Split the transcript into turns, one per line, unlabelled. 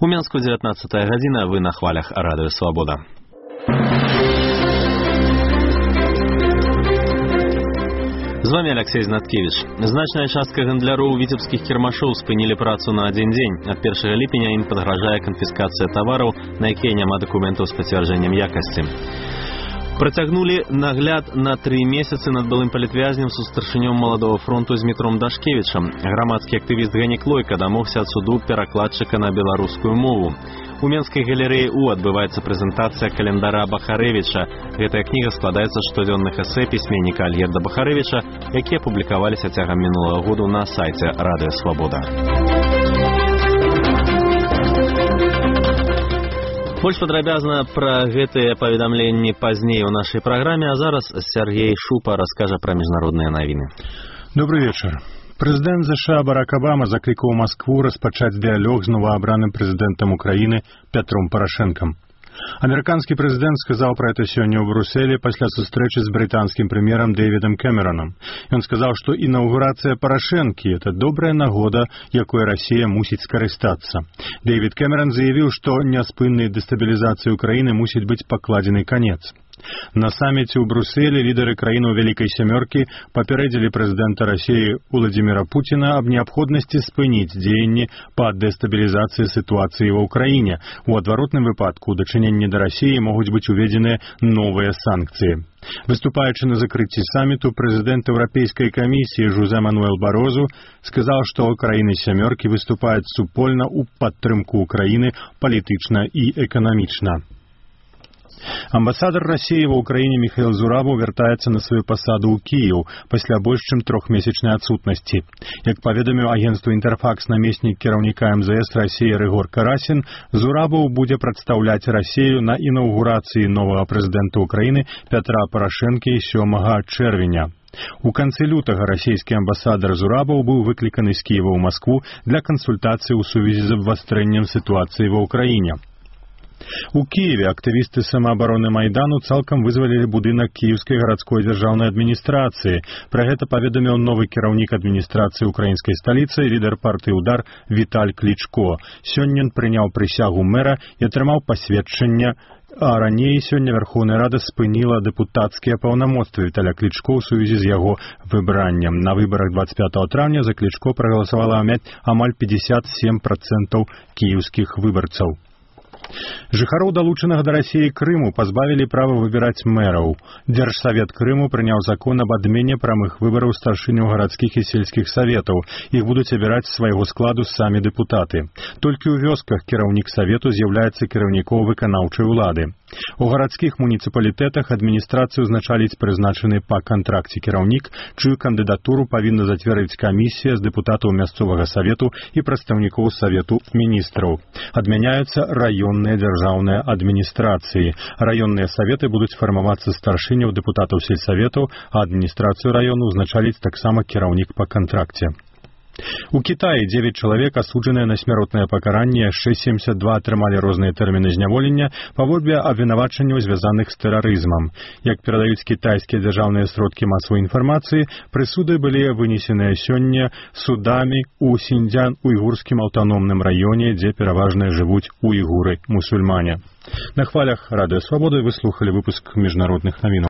У Менску 19 гадзіна, вы на хвалях Радыё Свабода. З вами Алексей Знаткевич. Значная частка гандляроў віцебскіх кірмашоў спынілі працу на адзін дзень. Ад 1 ліпеня ім падгражае канфіскацыя тавараў, на якія няма дакументаў з пацвярджэннем якасці. Працягнулі нагляд на 3 месяцы над былым палітвязнем са старшынём Маладога фронту Змітром Дашкевічам. Грамадскі актывіст Генік Лойка дамогся ад суду перакладчыка на беларускую мову. У Менскай галерэі У адбываецца прэзентацыя календара Бахарэвіча. Гэтая кніга складаецца з штодзённых эсэ пісьменніка Альгерда Бахарэвіча, якія публікаваліся цягам мінулага году на сайце Радыё Свабода. Больш падрабязна пра гэтыя паведамленні пазней у нашай праграме, а зараз Сергей Шупа раскажа пра міжнародныя навіны.
Добрый вечар. Прэзідэнт США Барак Обама заклікаў Маскву распачаць дыялог з новаабраным прэзідэнтам Украіны Пятром Парашэнкам. Амерыканскі прэзідэнт сказаў пра гэта сёння ў Брюсселі пасля сустрэчы з брытанскім прэм'ерам Дэвідам Кэмеронам. Ён сказаў, што інаўгурацыя Парашэнкі – это добрая нагода, якой Расія мусіць скарыстацца. Дэвід Кэмерон заявіў, што няспыннай дэстабілізацыі Украіны мусіць быць пакладзены канец. На саміце ў Брюсселі лідары краінаў Вялікай Сямёркі папярэдзілі прэзідэнта Расіі Уладзіміра Пуціна аб неабходнасці спыніць дзеянні па дэстабілізацыі сітуацыі ва ўкраіне. У адваротным выпадку ў дачыненні да Расіі могуць быць уведзеныя новыя санкцыі. Выступаючы на закрыцці саміту, прэзідэнт Еўрапейскай камісіі Жозе Мануэл Барозу сказаў, што краіны Сямёркі выступаюць супольна ў падтрымку Украіны палітычна і эканамічна. Амбасадар Расіі ва ўкраіне Міхаіл Зурабаў вяртаецца на сваю пасаду ў Кіеў пасля больш чым 3-месячнай адсутнасці. Як паведаміў агенцтву Інтэрфакс намеснік кіраўніка МЗС Расіі Рыгор Карасін, Зурабаў будзе прадстаўляць Расію на інаўгурацыі новага прэзідэнта Украіны Пятра Парашэнкі 7 чэрвеня. У канцы лютага расійскі амбасадар Зурабаў быў выкліканы з Кіева ў Маскву для кансультацыі ў сувязі з абвастрэннем сітуацыі ва ўкраіне. У Киеве актывісты самаабароны Майдану цалкам вызвалілі будынак Кіеўскай гарадской дзяржаўнай адміністрацыі. Пра гэта паведаміў новы кіраўнік адміністрацыі украінскай сталіцы, лідар партыі «Удар» Віталь Клічко. Сёння ён прыняў прысягу мэра і атрымаў пасведчанне, а раней сёння Верховная Рада спыніла дэпутацкія паўнамоцтвы Віталя Клічко ў сувязі з яго выбраннем. На выбарах 25 траўня за Клічко прагаласавала амаль 57% кіеўскіх выбарцаў. Жыхароў, далучанага да Расіі Крыму, пазбавілі права выбіраць мэраў. Дзяржсавет Крыму прыняў закон аб адмене прамых выбараў старшыняў гарадскіх і сельскіх саветаў. Іх будуць абіраць з свайго складу самі дэпутаты. Толькі ў вёсках кіраўнік савету з'яўляецца кіраўніком выканаўчай улады. У гарадскіх муніцыпалітэтах адміністрацыю узначаліць прызначаны па кантракце кіраўнік, чыю кандыдатуру павінна зацвердзіць камісія з дэпутатаў мясцовага савету і прадстаўнікоў савету міністраў. Адмяняюцца раённыя дзяржаўныя адміністрацыі. Раённыя саветы будуць фармавацца старшыняў дэпутатаў сельсаветаў, а адміністрацыю раёну узначаліць таксама кіраўнік па кантракце. У Кітаі 9 чалавек асуджаныя на смяротнае пакаранне, яшчэ 72 атрымалі розныя тэрміны зняволення паводле абвінавачанняў, звязаных з тэрарызмам. Як перадаюць кітайскія дзяржаўныя сродкі масавай інфармацыі, прысуды былі вынесеныя сёння судамі ў Сіньцзян-уйгурскім аўтаномным раёне, дзе пераважна жывуць уйгуры-мусульмане. На хвалях Радыё Свабода вы слухалі выпуск міжнародных навінаў.